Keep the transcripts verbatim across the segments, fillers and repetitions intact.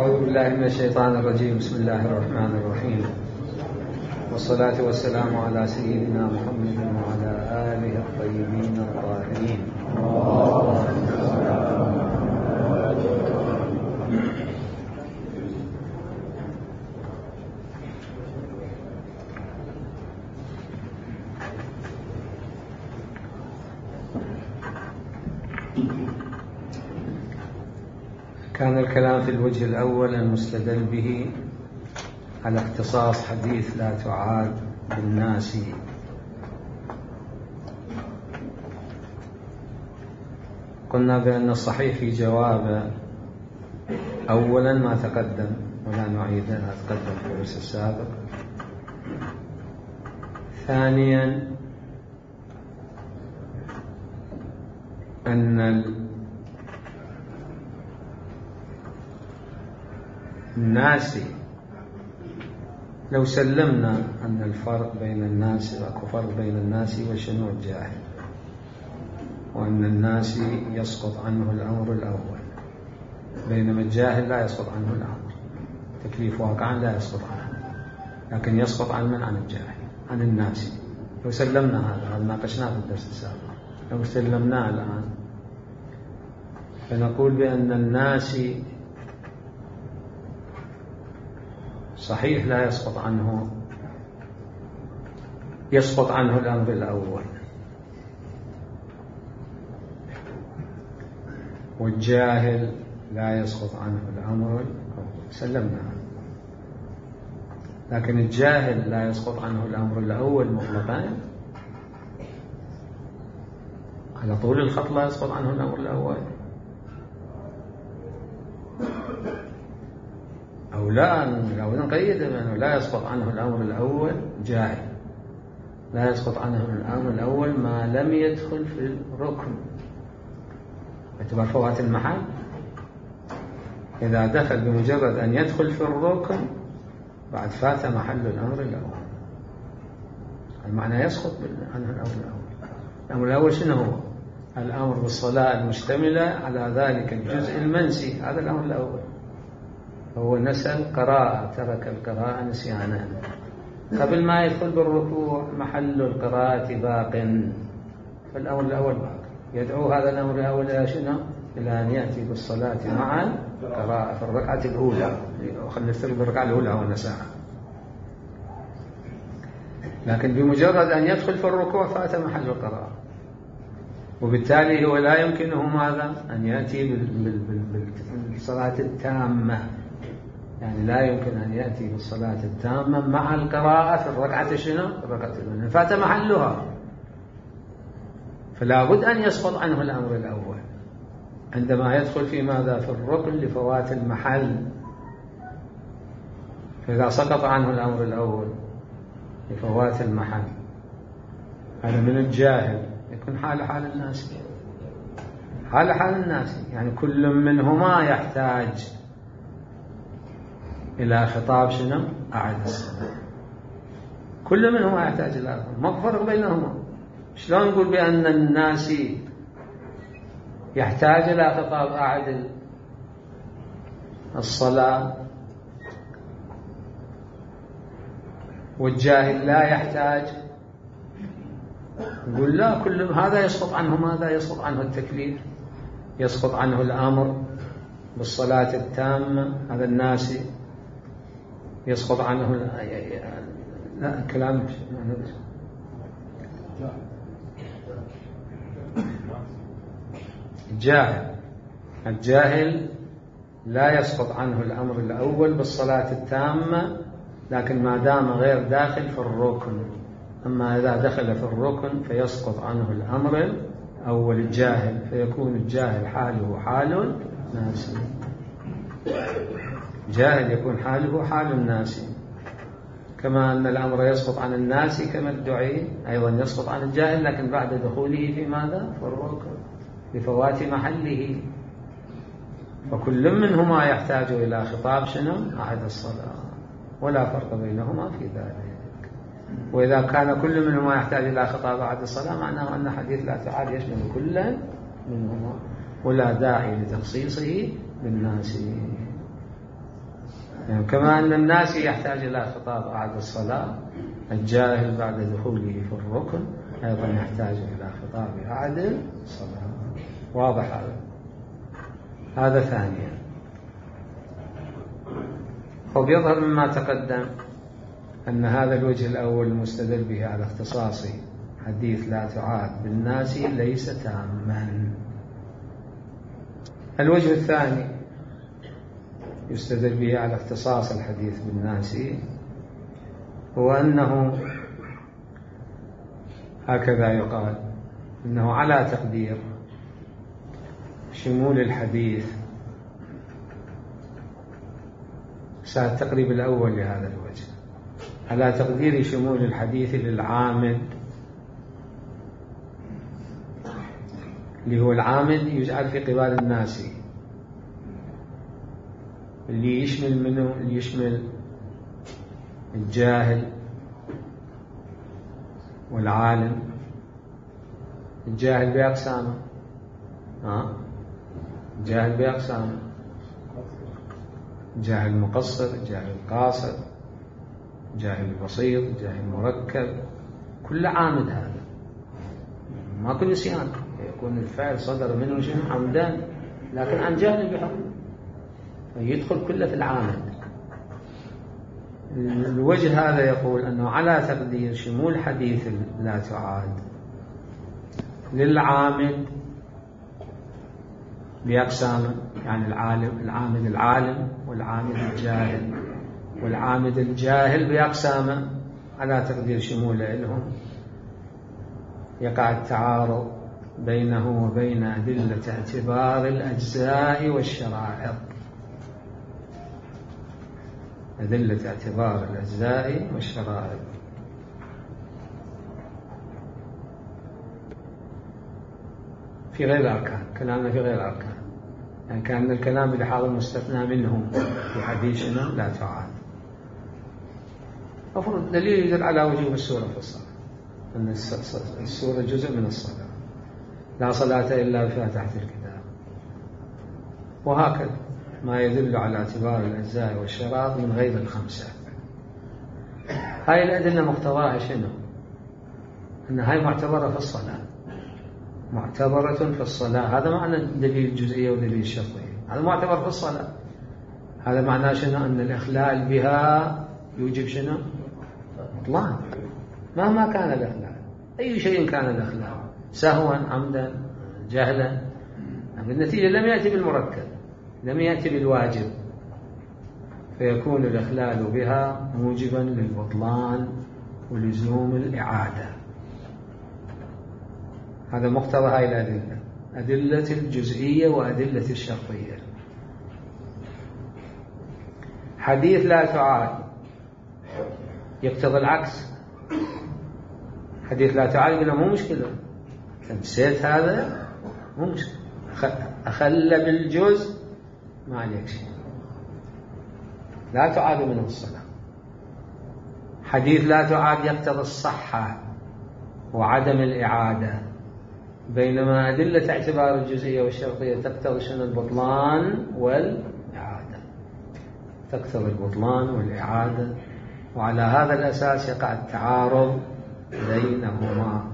أعوذ بالله من الشيطان الرجيم. بسم الله الرحمن الرحيم، والصلاة والسلام على سيدنا محمد وعلى آله الطيبين الطاهرين. كان الكلام في الوجه الأول المستدل به على اختصاص حديث لا تعاد بالناس. قلنا بأن الصحيح في جوابه أولا ما تقدم ولا نعيده، ما تقدم في الدرس السابق. ثانيا أن الناس لو سلمنا أن الفرق بين الناس أكو فرق بين الناس وشنو الجاهل، وأن الناس يسقط عنه الأمر الأول، بينما الجاهل لا يسقط عنه الأمر، تكليف واقعا لا يسقط عنه، لكن يسقط عن من؟ عن الجاهل، عن الناس. لو سلمنا هذا، هذا ناقشناه في الدرس السابق، لو سلمناه الآن فنقول بأن الناس صحيح لا يسقط عنه يسقط عنه الأمر الأول، والجاهل لا يسقط عنه الأمر الأول، سلمنا. لكن الجاهل لا يسقط عنه الأمر الأول مطلقا، على طول الخط لا يسقط عنه الأمر الأول، أو لا لو نقيد بأنه لا يسقط عنه الأمر الأول جاهل، لا يسقط عنه الأمر الأول ما لم يدخل في الركن باعتبار فوات المحل. إذا دخل بمجرد أن يدخل في الركن بعد فات محل الأمر الأول، المعنى يسقط عنه الأمر الأول. الأمر الأول شنو هو؟ الأمر بالصلاة المشتملة على ذلك الجزء المنسي، هذا الأمر الأول. هو نسى القراءة، ترك القراءة نسيانا، قبل ما يدخل بالركوع محل القراءة باق، فالأمر الأول باق. يدعو هذا الأمر الأول إلى شنو؟ إلى أن يأتي بالصلاة مع القراءة في الركعة الأولى، خلينا نفترض بالركعة الأولى ونساها. لكن بمجرد أن يدخل في الركوع فات محل القراءة، وبالتالي هو لا يمكنه ماذا؟ أن يأتي بالصلاة التامة، يعني لا يمكن أن يأتي بالصلاة التامة مع القراءة في الركعة شنو؟ الركعة الأولى، فات محلها، فلا بد أن يسقط عنه الأمر الأول عندما يدخل في ماذا؟ في الركن لفوات المحل. فإذا سقط عنه الأمر الأول لفوات المحل، هذا من الجاهل، يكون حال حال الناس، حال حال الناس، يعني كل منهما يحتاج إلى خطاب شنو؟ أعد الصلاة. كل منهما يحتاج إلى خطاب، ما فرق بينهما. شلون نقول بأن الناس يحتاج إلى خطاب أعد الصلاة والجاهل لا يحتاج؟ نقول لا، كل هذا يسقط عنه ماذا؟ يسقط عنه التكليف، يسقط عنه الأمر بالصلاة التامة، هذا الناس يسقط عنه لا كلام الجاهل. الجاهل لا يسقط عنه الأمر الأول بالصلاة التامة، لكن ما دام غير داخل في الركن. أما إذا دخل في الركن فيسقط عنه الأمر الأول الجاهل، فيكون الجاهل حاله حال الناس، جاهل يكون حاله حال الناس. كما أن الأمر يسقط عن الناس كما ادعي، أيضا يسقط عن الجاهل، لكن بعد دخوله في ماذا؟ في الركن، بفوات محله. فكل منهما يحتاج إلى خطاب شنو؟ أعد الصلاة، ولا فرق بينهما في ذلك. وإذا كان كل منهما يحتاج إلى خطاب أعد الصلاة، معناه أن حديث لا تعاد يشمل كل منهما، ولا داعي لتخصيصه بالناس. يعني كما أن الناس يحتاج إلى خطاب بعد الصلاة، الجاهل بعد دخوله في الركن أيضا يحتاج إلى خطاب بعد الصلاة. واضح هذا؟ هذا ثانيا. وبيظهر مما تقدم أن هذا الوجه الأول المستدل به على اختصاص حديث لا تعاد بالناس ليس تاما. الوجه الثاني يستدل به على اختصاص الحديث بالناس هو أنه هكذا يقال أنه على تقدير شمول الحديث، التقريب الأول لهذا الوجه على تقدير شمول الحديث للعامد، اللي هو العامد يجعل في قبال الناس، اللي يشمل منه اللي يشمل الجاهل والعالم. الجاهل بأقسامه، ها الجاهل بأقسامه، جاهل مقصر، جاهل قاصر، جاهل بسيط، جاهل مركب، كل عامد هذا، ما كل نسيان، يكون الفعل صدر منه شيء عمدان لكن عن جهل بحكم، يدخل كله في العامد. الوجه هذا يقول أنه على تقدير شمول حديث لا تعاد للعامد بأقسامه، يعني العالم العامد العالم والعامد الجاهل والعامد الجاهل بأقسامه، على تقدير شموله لهم يقع التعارض بينه وبين أدلة اعتبار الأجزاء والشرائط، أدلة اعتبار الأجزاء والشرائط. في غير الأركان، كلامنا في غير الأركان، يعني كان الكلام بلحاظ المستثنى منهم في حديثنا لا تعاد. أفرض دليل يدل على وجوب السورة في الصلاة، أن السورة جزء من الصلاة، لا صلاة إلا بفاتحة الكتاب، وهكذا ما يدل على اعتبار الأجزاء والشرائط من غير الخمسة. هاي الأدلة مقتضاها شنو؟ أن هاي معتبرة في الصلاة، معتبرة في الصلاة. هذا معنى دليل الجزئية ودليل الشرطية، هذا معتبر في الصلاة. هذا معناه شنو؟ أن الإخلال بها يوجب شنو؟ بطلان، مهما كان الإخلال، أي شيء كان الإخلال، سهوا عمدا جهلا، بالنتيجة لم يأتي بالمركب، لم يأتي بالواجب، فيكون الإخلال بها موجبا للبطلان ولزوم الإعادة. هذا مقتضى هاي الأدلة، أدلة الجزئية وأدلة الشرطية. حديث لا تعاد يقتضي العكس، حديث لا تعاد قلنا مو مشكلة، نسيت هذا مو مشكلة، أخل بالجزء ما عليك شيء، لا تعاد منه الصلاة. حديث لا تعاد يقتضي الصحة وعدم الإعادة، بينما أدلة اعتبار الجزئية والشرطية تقتضي شنو؟ البطلان والإعادة، تقتضي البطلان والإعادة، وعلى هذا الأساس يقع التعارض بينهما.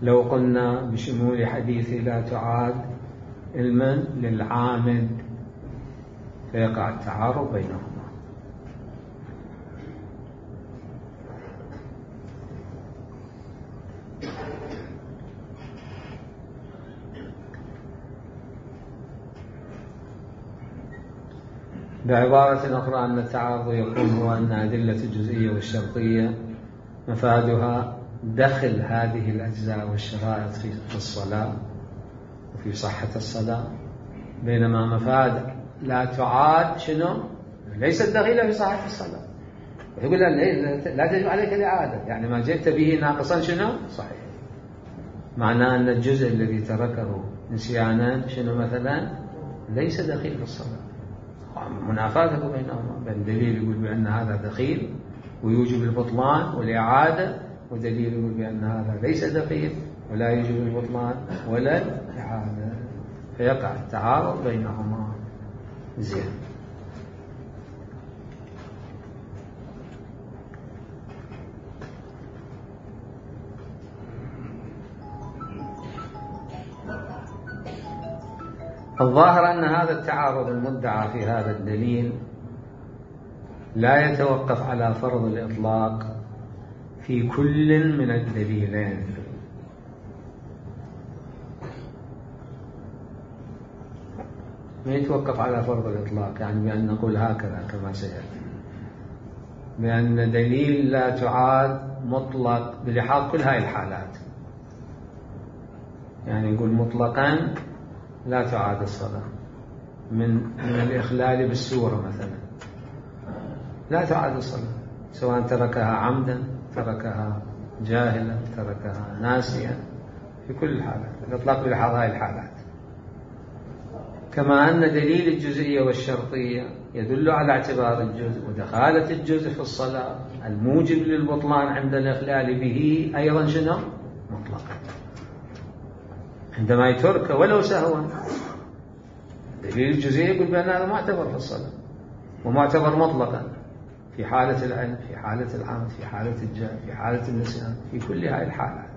لو قلنا بشمول حديث لا تعاد علما للعامد فيقع التعارض بينهما. بعبارة أخرى أن التعارض يكون هو أن أدلة الجزئية والشرطية مفادها دخل هذه الأجزاء والشرائط في الصلاة وفي صحة الصلاة، بينما مفاد لا تعاد شنو؟ ليست دخيلة في صحة الصلاة. يقول لا تجب عليك الإعادة، يعني ما جئت به ناقصا شنو؟ صحيح. معناه أن الجزء الذي تركه نسيانا شنو مثلا؟ ليس دخيل في الصلاة. منافاته بينهما، بين دليل يقول بأن هذا دخيل ويوجب البطلان والإعادة، ودليل يقول بأن هذا ليس دخيل ولا يوجب البطلان ولا الإعادة، فيقع التعارض بينهما. زين. الظاهر أن هذا التعارض المدعى في هذا الدليل لا يتوقف على فرض الإطلاق في كل من الدليلين، ما يتوقف على فرض الإطلاق، يعني بأن نقول هكذا كما سيأتي، بأن دليل لا تعاد مطلق بلحاظ كل هاي الحالات، يعني نقول مطلقا لا تعاد الصلاة من من الإخلال بالسورة مثلا، لا تعاد الصلاة سواء تركها عمدا، تركها جاهلا، تركها ناسيا، في كل الحالات الإطلاق بلحاظ هاي الحالات. كما أن دليل الجزئية والشرطية يدل على اعتبار الجزء ودخالة الجزء في الصلاة الموجب للبطلان عند الإخلال به أيضا شنو؟ مطلقا، عندما يترك ولو سهوا. دليل الجزئية يقول بأن هذا معتبر في الصلاة ومعتبر مطلقا في حالة العلم، في حالة العمد، في حالة الجهل، في حالة النسيان، في كل هذه الحالات.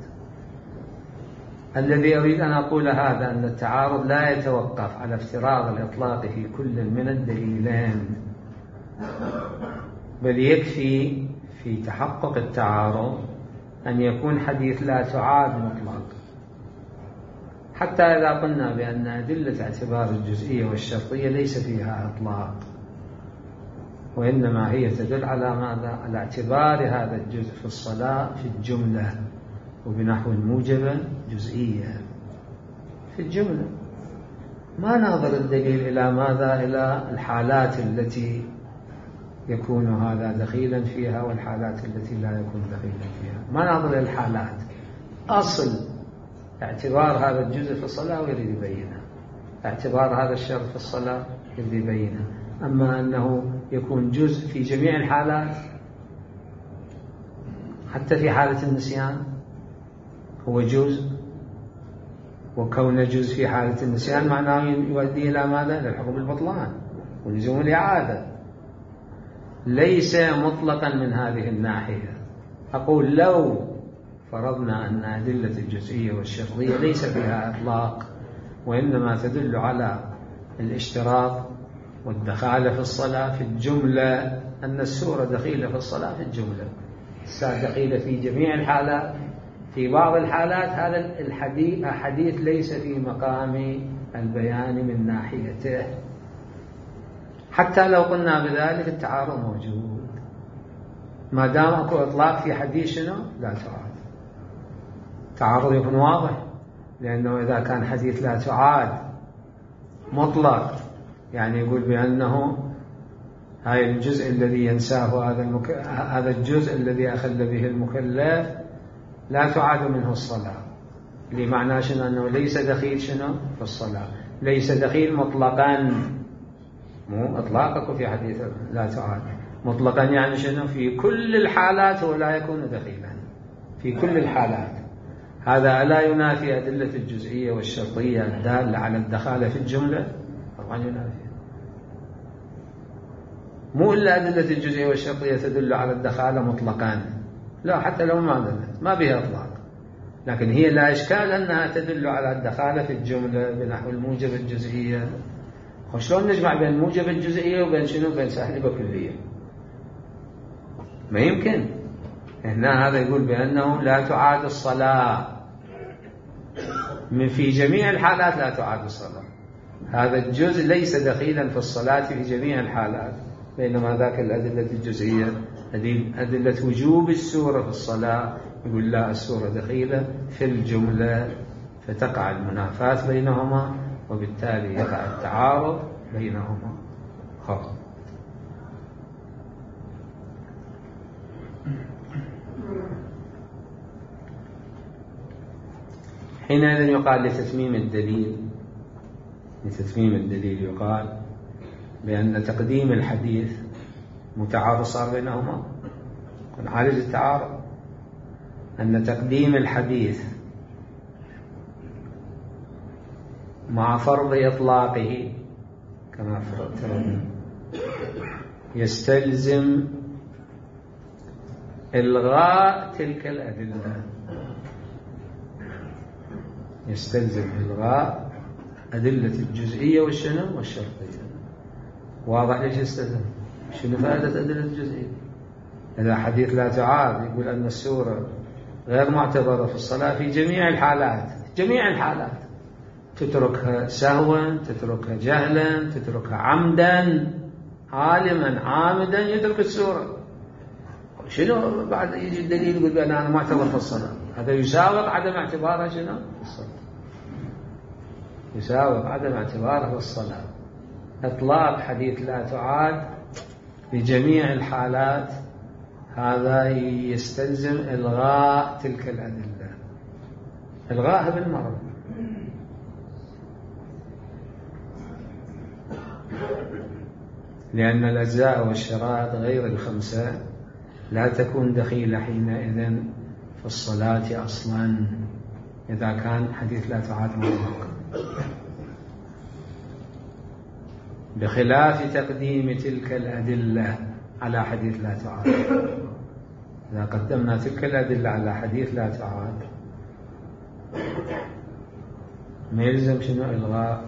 الذي أريد أن أقول هذا أن التعارض لا يتوقف على افتراض الإطلاق في كل من الدليلين، بل يكفي في تحقق التعارض أن يكون حديث لا تعاد مطلق، حتى إذا قلنا بأن أدلة اعتبار الجزئية والشرطية ليس فيها إطلاق، وإنما هي تدل على ماذا؟ على اعتبار هذا الجزء في الصلاة في الجملة وبنحو موجبا جزئيا في الجملة. ما ننظر الدليل إلى ماذا؟ إلى الحالات التي يكون هذا دخيلا فيها والحالات التي لا يكون دخيلا فيها، ما ننظر إلى الحالات، أصل اعتبار هذا الجزء في الصلاة ويريد يبينها، اعتبار هذا الشرط في الصلاة يريد يبينها. أما أنه يكون جزء في جميع الحالات حتى في حالة النسيان هو جزء، وكون جزء في حالة النسيان معناه يؤدي إلى ماذا؟ إلى الحكم بالبطلان ولزوم الإعادة، ليس مطلقا من هذه الناحية. أقول لو فرضنا أن أدلة الجزئية والشرطية ليس فيها إطلاق وإنما تدل على الاشتراط والدخالة في الصلاة في الجملة، أن السورة دخيلة في الصلاة في الجملة، السورة دخيلة في جميع الحالات، في بعض الحالات هذا الحديث حديث ليس في مقام البيان من ناحيته، حتى لو قلنا بذلك التعارض موجود، ما دام اكو اطلاق في حديث شنو؟ لا تعاد. التعارض يكون واضح، لأنه إذا كان حديث لا تعاد مطلق يعني يقول بأنه هاي الجزء الذي ينساه هذا المك... هذا الجزء الذي أخل به المكلف لا تعاد منه الصلاة، لمعنى شنو؟ أنه ليس دخيل شنو؟ في الصلاة، ليس دخيل مطلقا، مو إطلاقك في حديث لا تعاد مطلقا، يعني شنو؟ في كل الحالات هو لا يكون دخيلا في كل الحالات. هذا لا ينافي أدلة الجزئية والشرطية الدالة على الدخالة في الجملة، طبعا ينافي، مو إلا أدلة الجزئية والشرطية تدل على الدخالة مطلقا، لا حتى لو ما دلت ما بها إطلاق، لكن هي لا إشكال أنها تدل على الدخالة في الجملة بنحو الموجب الجزئية. وشلون نجمع بين موجب الجزئية وبين شنو؟ بين سالبة كلية؟ ما يمكن. هنا هذا يقول بأنه لا تعاد الصلاة من في جميع الحالات، لا تعاد الصلاة، هذا الجزء ليس دخيلا في الصلاة في جميع الحالات، بينما ذاك الأدلة الجزئية أدلة وجوب السورة في الصلاة يقول لا، السورة دخيلة في الجملة، فتقع المنافاة بينهما وبالتالي يقع التعارض بينهما. خلاص. حينئذ يقال لتتميم الدليل لتتميم الدليل يقال بأن تقديم الحديث متعارض صار بينهما، ونعالج التعارض، أن تقديم الحديث مع فرض إطلاقه كما فرضنا يستلزم إلغاء تلك الأدلة، يستلزم إلغاء أدلة الجزئية والشنو والشرطية. واضح ليش استثنى؟ شنو فائدة أدلة الجزئية؟ إذا حديث لا تعارض يقول أن السورة غير معتبرة في الصلاة في جميع الحالات، جميع الحالات، تتركها سهوا، تتركها جهلا، تتركها عمدا، عالما عامدا يترك السورة. شنو بعد يجي الدليل يقول بأن أنا معتبر في الصلاة؟ هذا يساوق عدم اعتبارها شنو في الصلاة، يساوق عدم اعتبارها في الصلاة. إطلاق حديث لا تعاد بجميع الحالات هذا يستلزم إلغاء تلك الأدلة، إلغاءها بالمرة. لأن الأجزاء والشرائط غير الخمسة لا تكون دخيلة حينئذ في الصلاة أصلا إذا كان حديث لا تعاد مطلق، بخلاف تقديم تلك الأدلة على حديث لا تعاد. إذا قدمنا تلك الأدلة على حديث لا تعاد ما يلزم شنو إلغاء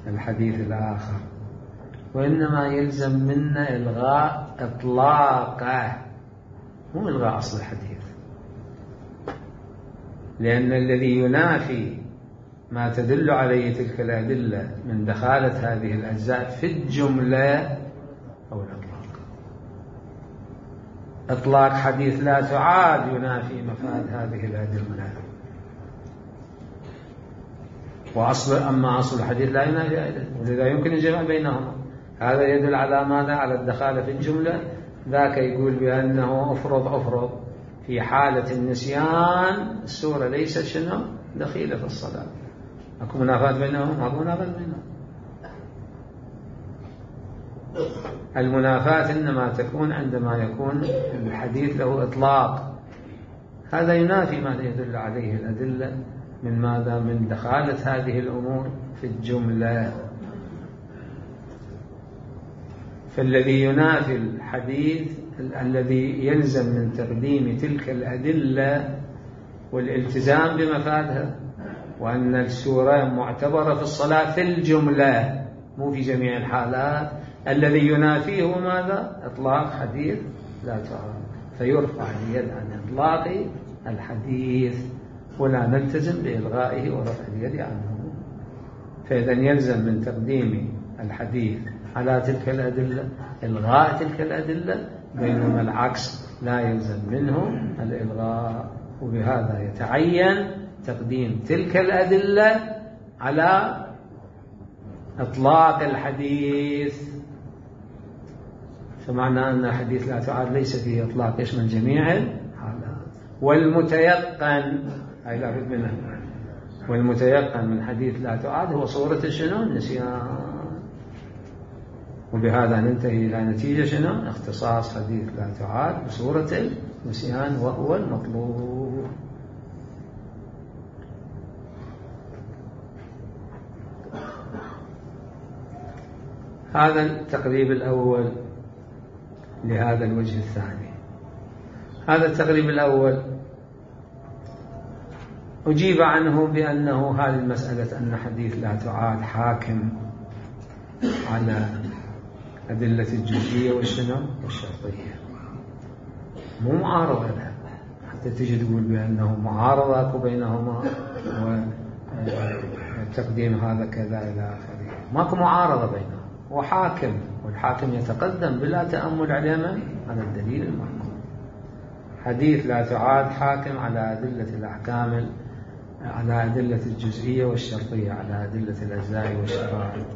الحديث الآخر، وإنما يلزم منا إلغاء إطلاقه، مو إلغاء أصل الحديث. لأن الذي ينافي ما تدل عليه تلك الأدلة من دخالة هذه الأجزاء في الجملة أو الإطلاق. إطلاق حديث لا تعاد ينافي مفاد هذه الأدلة، وأصل أما أصل الحديث لا ينافي أيضا، ولذا يمكن الجمع بينهما. هذا يدل على ماذا؟ على الدخالة في الجملة. ذاك يقول بأنه أفرض أفرض في حالة النسيان السورة ليست شنو دخيلة في الصلاة. أكو منافات بينهم؟ أكو منافات بينهم. المنافات إنما تكون عندما يكون الحديث له إطلاق، هذا ينافي ما يدل عليه الأدلة من ماذا؟ من دخالة هذه الأمور في الجملة. فالذي ينافي الحديث الذي يلزم من تقديم تلك الأدلة والالتزام بمفادها، وأن السورة معتبرة في الصلاة في الجملة مو في جميع الحالات. الذي ينافيه ماذا؟ إطلاق حديث لا تعارض، فيرفع اليد عن إطلاق الحديث ولا نلتزم بإلغائه ورفع اليد عنه. فإذا يلزم من تقديم الحديث على تلك الأدلة إلغاء تلك الأدلة، بينما العكس لا يلزم منه الإلغاء. وبهذا يتعين تقديم تلك الأدلة على إطلاق الحديث. فمعنى أن الحديث لا تعاد ليس فيه إطلاق يشمل جميع الحالات. والمتيقن أي لا بد منه، والمتيقن من حديث لا تعاد هو صورة شنو؟ النسيان. وبهذا ننتهي إلى نتيجة شنو؟ اختصاص حديث لا تعاد بصورة النسيان وهو المطلوب. هذا التقريب الأول لهذا الوجه الثاني. هذا التقريب الأول أجيب عنه بأنه هذه المسألة أن حديث لا تعاد حاكم على أدلة الجزئية والشنو والشرطية، مو معارضة لها حتى تجي تقول بأنه معارضة بينهما وتقديم هذا كذا إلى آخره. ماكو معارضة بينهم، وحاكم، والحاكم يتقدم بلا تأمل على من؟ على الدليل المحكوم. حديث لا تعاد حاكم على أدلة الأحكام، على أدلة الجزئية والشرطية، على أدلة الأجزاء والشرائط،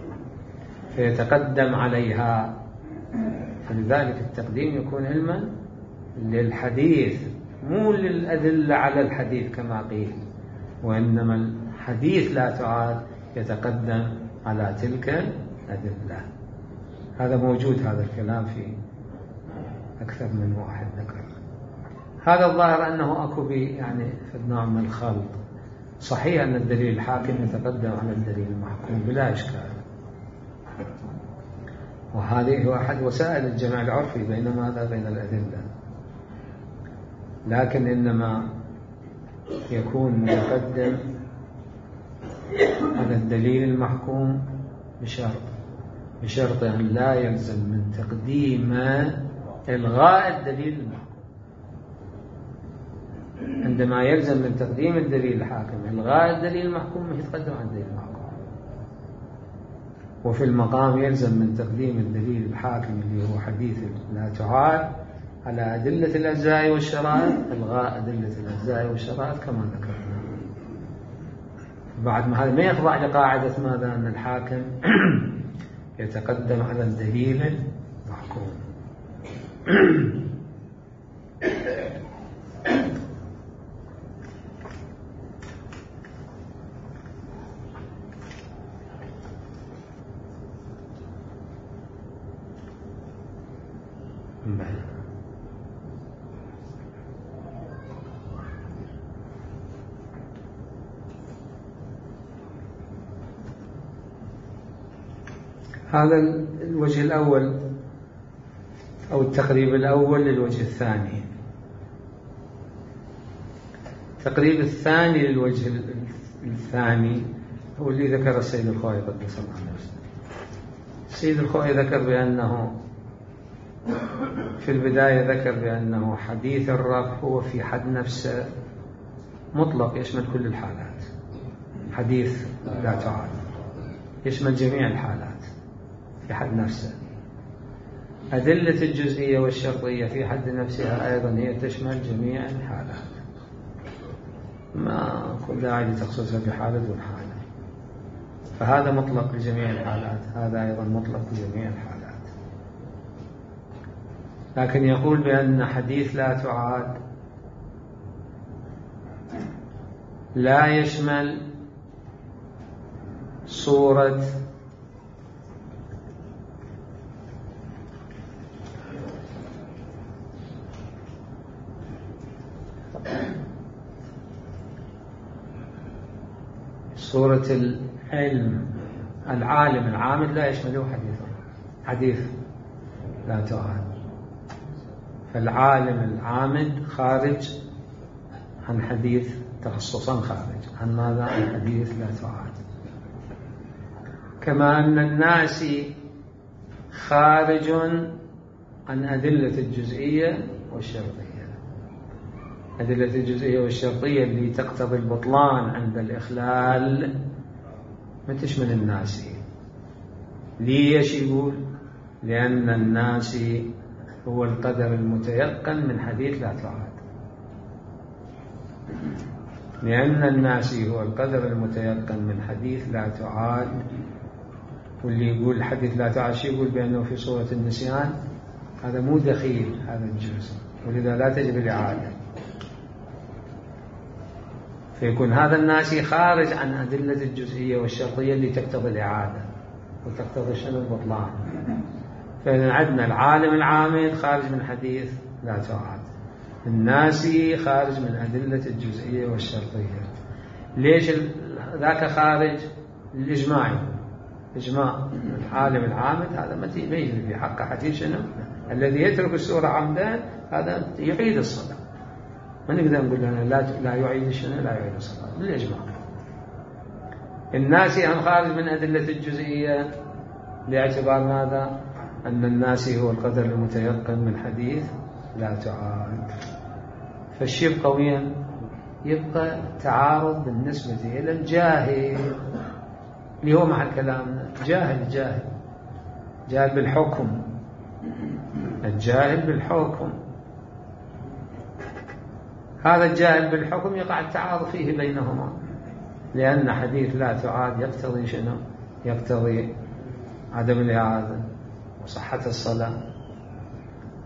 فيتقدم عليها. فلذلك التقديم يكون علما للحديث مو للأدلة على الحديث كما قيل، وإنما الحديث لا تعاد يتقدم على تلك الأدلة. هذا موجود، هذا الكلام في أكثر من واحد ذكر. هذا الظاهر أنه أكو بي يعني في نوع من الخلط. صحيح أن الدليل الحاكم يتقدم على الدليل المحكوم بلا إشكال، وهذه هو أحد وسائل الجمع العرفي بين ماذا؟ بين الأدلة. لكن إنما يكون متقدم على الدليل المحكوم بشرط بشرط أن لا يلزم من تقديم إلغاء الدليل المحكوم. عندما يلزم من تقديم الدليل الحاكم إلغاء الدليل المحكوم يتقدم عن الدليل المحكوم. وفي المقام يلزم من تقديم الدليل الحاكم اللي هو حديث لا تعاد على أدلة الأجزاء والشرائط إلغاء أدلة الأجزاء والشرائط كما ذكرنا. بعد ما هذا ما يخضع لقاعدة ماذا؟ أن الحاكم يتقدم على الدليل المحكوم. هذا الوجه الأول أو التقريب الأول للوجه الثاني. التقريب الثاني للوجه الثاني هو اللي ذكر السيد الخوئي قدس الله نفسه. السيد الخوئي ذكر بأنه في البداية ذكر بأنه حديث الرفع هو في حد نفسه مطلق يشمل كل الحالات. حديث لا تعاد يشمل جميع الحالات في حد نفسه. أدلة الجزئية والشرطية في حد نفسها أيضا هي تشمل جميع الحالات، ما كل داعي لتخصيصها بحالة دون حالة. فهذا مطلق لجميع الحالات، هذا أيضا مطلق لجميع الحالات. لكن يقول بأن حديث لا تعاد لا يشمل صورة صورة العلم العالم العامد لا يشمله حديث حديث لا تعاد. فالعالم العامد خارج عن حديث تخصصا، خارج عن ماذا؟ عن حديث لا تعاد. كما أن الناس خارج عن أدلة الجزئية والشرطية. أدلة الجزئية والشرطية اللي تقتضي البطلان عند الإخلال ما تشمل الناسي. ليش يقول؟ لأن الناسي هو القدر المتيقن من حديث لا تعاد. لأن الناسي هو القدر المتيقن من حديث لا تعاد. واللي يقول حديث لا تعاد شيء يقول بأنه في صورة النسيان، هذا مو دخيل هذا الجزء، ولذا لا تجب الإعادة. فيكون هذا الناسي خارج عن أدلة الجزئية والشرطية اللي تقتضي الإعادة وتقتضي شنو؟ البطلان. فإذا عندنا العالم العامد خارج من حديث لا تعاد، الناسي خارج من أدلة الجزئية والشرطية. ليش ذاك خارج؟ الإجماع. إجماع العالم العامد هذا ما يجري في حقه حديث شنو؟ الذي يترك السورة عمدا هذا يعيد الصلاة. ما نقدر نقول لنا لا لا يعيد شنو؟ لا يعيد الصلاة بالإجماع. الناسي هم خارج من أدلة الجزئية باعتبار ماذا؟ أن الناسي هو القدر المتيقن من حديث لا تعاد. فالشيء يبقى وين؟ يبقى تعارض بالنسبة إلى الجاهل اللي هو مع كلامنا جاهل جاهل جاهل بالحكم. الجاهل بالحكم هذا الجاهل بالحكم يقع التعارض فيه بينهما، لأن حديث لا تعاد يقتضي شنو؟ يقتضي عدم الإعادة وصحة الصلاة،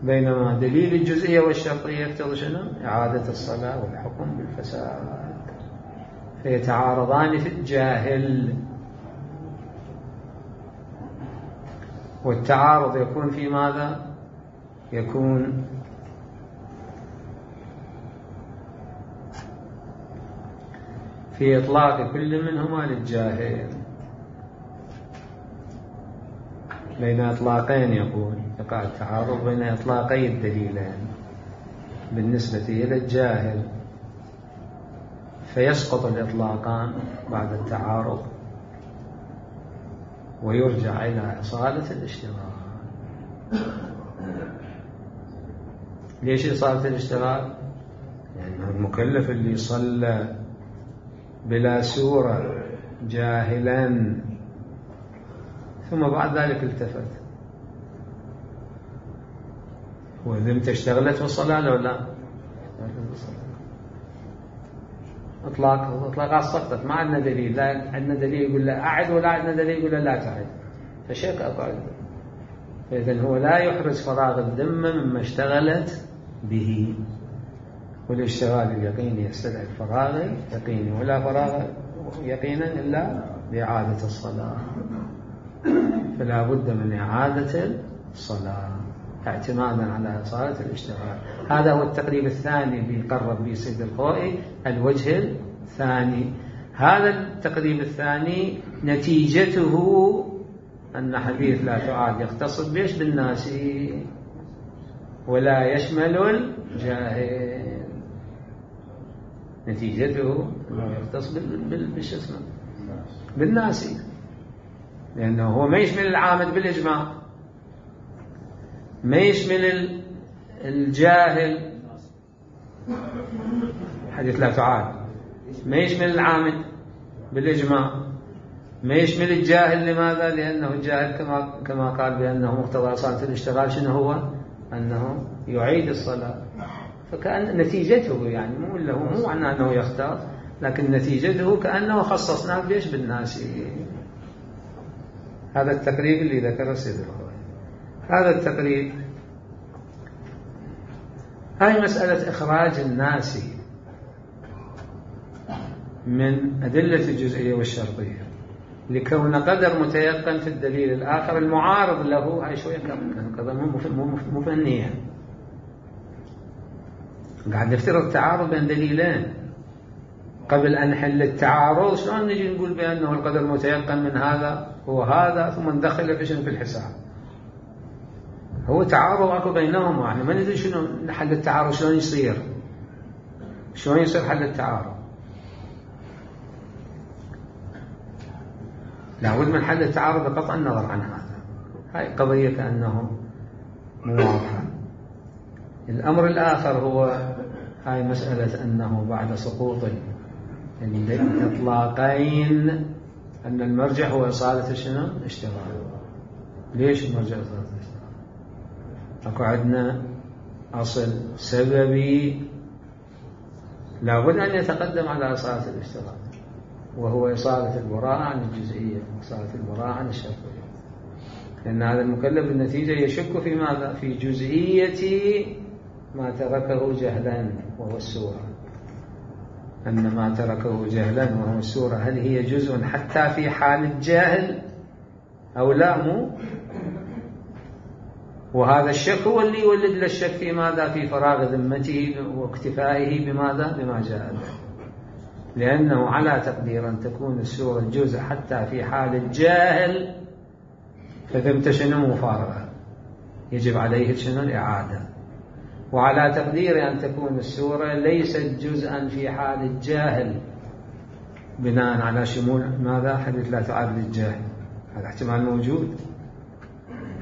بينما دليل الجزئية والشرطية يقتضي شنو؟ إعادة الصلاة والحكم بالفساد. فيتعارضان في الجاهل. والتعارض يكون في ماذا؟ يكون في إطلاق كل منهما للجاهل. بين إطلاقين يقول يقع التعارض بين إطلاقي الدليلين بالنسبة إلى الجاهل. فيسقط الإطلاقان بعد التعارض ويرجع إلى إصالة الاشتغال. ليش إصالة الاشتغال؟ لأنه يعني المكلف اللي صلى بلا سورة جاهلا ثم بعد ذلك التفت، وذمته اشتغلت في الصلاة لو لا؟ اطلاق اطلاقات سقطت، ما عندنا دليل، لا عندنا دليل يقول لا أعد ولا عندنا دليل يقول لا تعد، فشك أقعد. فإذن هو لا يحرز فراغ الذمة مما اشتغلت به، والاشتغال اليقيني يستدعي الفراغ يقيني، ولا فراغ يقينا إلا بإعادة الصلاة، فلا بد من إعادة الصلاة اعتمادا على إصالة الاشتغال. هذا هو التقريب الثاني اللي قرب به سيد الخوئي، الوجه الثاني. هذا التقريب الثاني نتيجته أن حديث لا تعاد يختص بيش بالناس ولا يشمل الجاهل، نتيجته أنه يختص بالشسمة بالناس، لأنه هو ما يشمل العامد بالإجماع، ما يشمل الجاهل حديث لا تعاد، ما يشمل العامد بالإجماع، ما يشمل الجاهل. لماذا؟ لأنه الجاهل كما كما قال بأنه مقتضى إصالة الاشتغال شنو هو؟ أنه يعيد الصلاة. فكأن نتيجته يعني مو له مو معنى أنه يختار، لكن نتيجته كأنه خصصناه بيش بالناس. هذا التقريب اللي ذكره سيد الخوئي. هذا التقريب هاي مسألة إخراج الناس من أدلة الجزئية والشرطية لكون قدر متيقن في الدليل الآخر المعارض له، هاي شوية قدر مو فنية، قاعد نفترض تعارض بين دليلين. قبل أن نحل التعارض شلون نجي نقول بأنه القدر متيقن من هذا هو هذا ثم ندخل في في الحساب؟ هو تعارض اكو بينهما، يعني ما ندري شنو حل التعارض، شلون يصير شلون يصير حل التعارض. لابد من حل التعارض بقطع النظر عن هذا. هاي قضية كأنه مو واضحة. الأمر الآخر هو هاي مسألة أنه بعد سقوط الإطلاقين أن المرجع هو إصالة شنو؟ اشتغال. ليش المرجع إصالة الاشتغال؟ أكو عندنا أصل سببي لابد أن يتقدم على إصالة الاشتغال، وهو إصالة البراءة عن الجزئية، إصالة البراءة عن الشرطية. لأن هذا المكلف بالنتيجة يشك في ماذا؟ في جزئية ما تركه جهلا وهو السورة. أن ما تركه جهلا وهو السورة هل هي جزء حتى في حال الجاهل أو لا؟ مو. وهذا الشك هو اللي يولد للشك في ماذا؟ في فراغ ذمته واكتفائه بماذا؟ بما جاء به. لأنه على تقدير أن تكون السورة جزء حتى في حال الجاهل فذمت شنو؟ مفارغة، يجب عليه شنو؟ الإعادة. وعلى تقدير أن تكون السورة ليست جزءا في حال الجاهل بناء على شمول ماذا؟ حديث لا تعاد للجاهل، هذا احتمال موجود.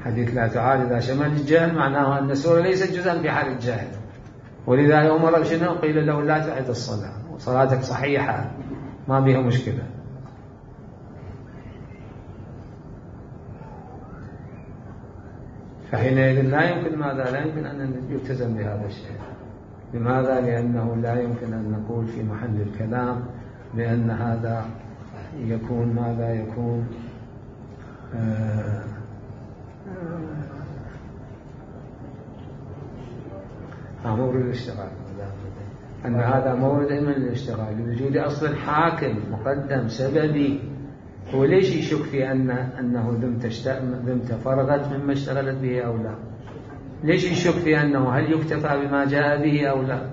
حديث لا تعاد إذا شمل الجاهل معناه أن السورة ليست جزءا في حال الجاهل، ولذا أمر بشنو؟ قيل له لا تعد الصلاة وصلاتك صحيحة ما بها مشكلة. فحينئذ لا يمكن ماذا؟ لا يمكن أن يلتزم بهذا الشيء. لماذا؟ لأنه لا يمكن أن نقول في محل الكلام بأن هذا يكون ماذا؟ يكون آه آه مورد الاشتغال، أن هذا مورد من الاشتغال لوجود أصل حاكم مقدم سببي. هو ليش يشك في أن أنه ذمت فرغت مما اشتغلت به أو لا؟ ليش يشك في أنه هل يكتفى بما جاء به أو لا؟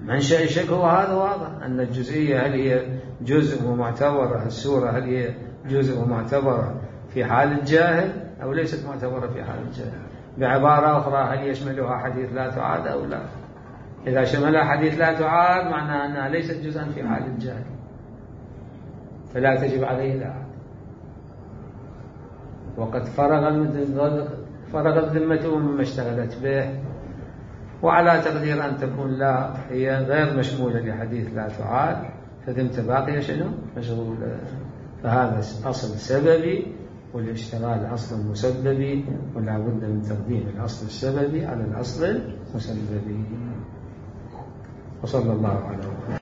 منشأ الشك هو هذا واضح، أن الجزئية هل هي جزء ومعتبرة، السورة هل هي جزء ومعتبرة في حال الجاهل أو ليست معتبرة في حال الجاهل. بعبارة أخرى هل يشملها حديث لا تعاد أو لا؟ إذا شملها حديث لا تعاد معناه أنها ليست جزءا في حال الجهل، فلا تجب عليه الإعادة. وقد فرغ فرغت ذمته مما اشتغلت به، وعلى تقدير أن تكون لا هي غير مشمولة لحديث لا تعاد، فذمة باقية شنو؟ مشغولة. فهذا أصل سببي، والاشتغال أصل مسببي، ولا بد من تقديم الأصل السببي على الأصل المسببي. وصلى الله على محمد.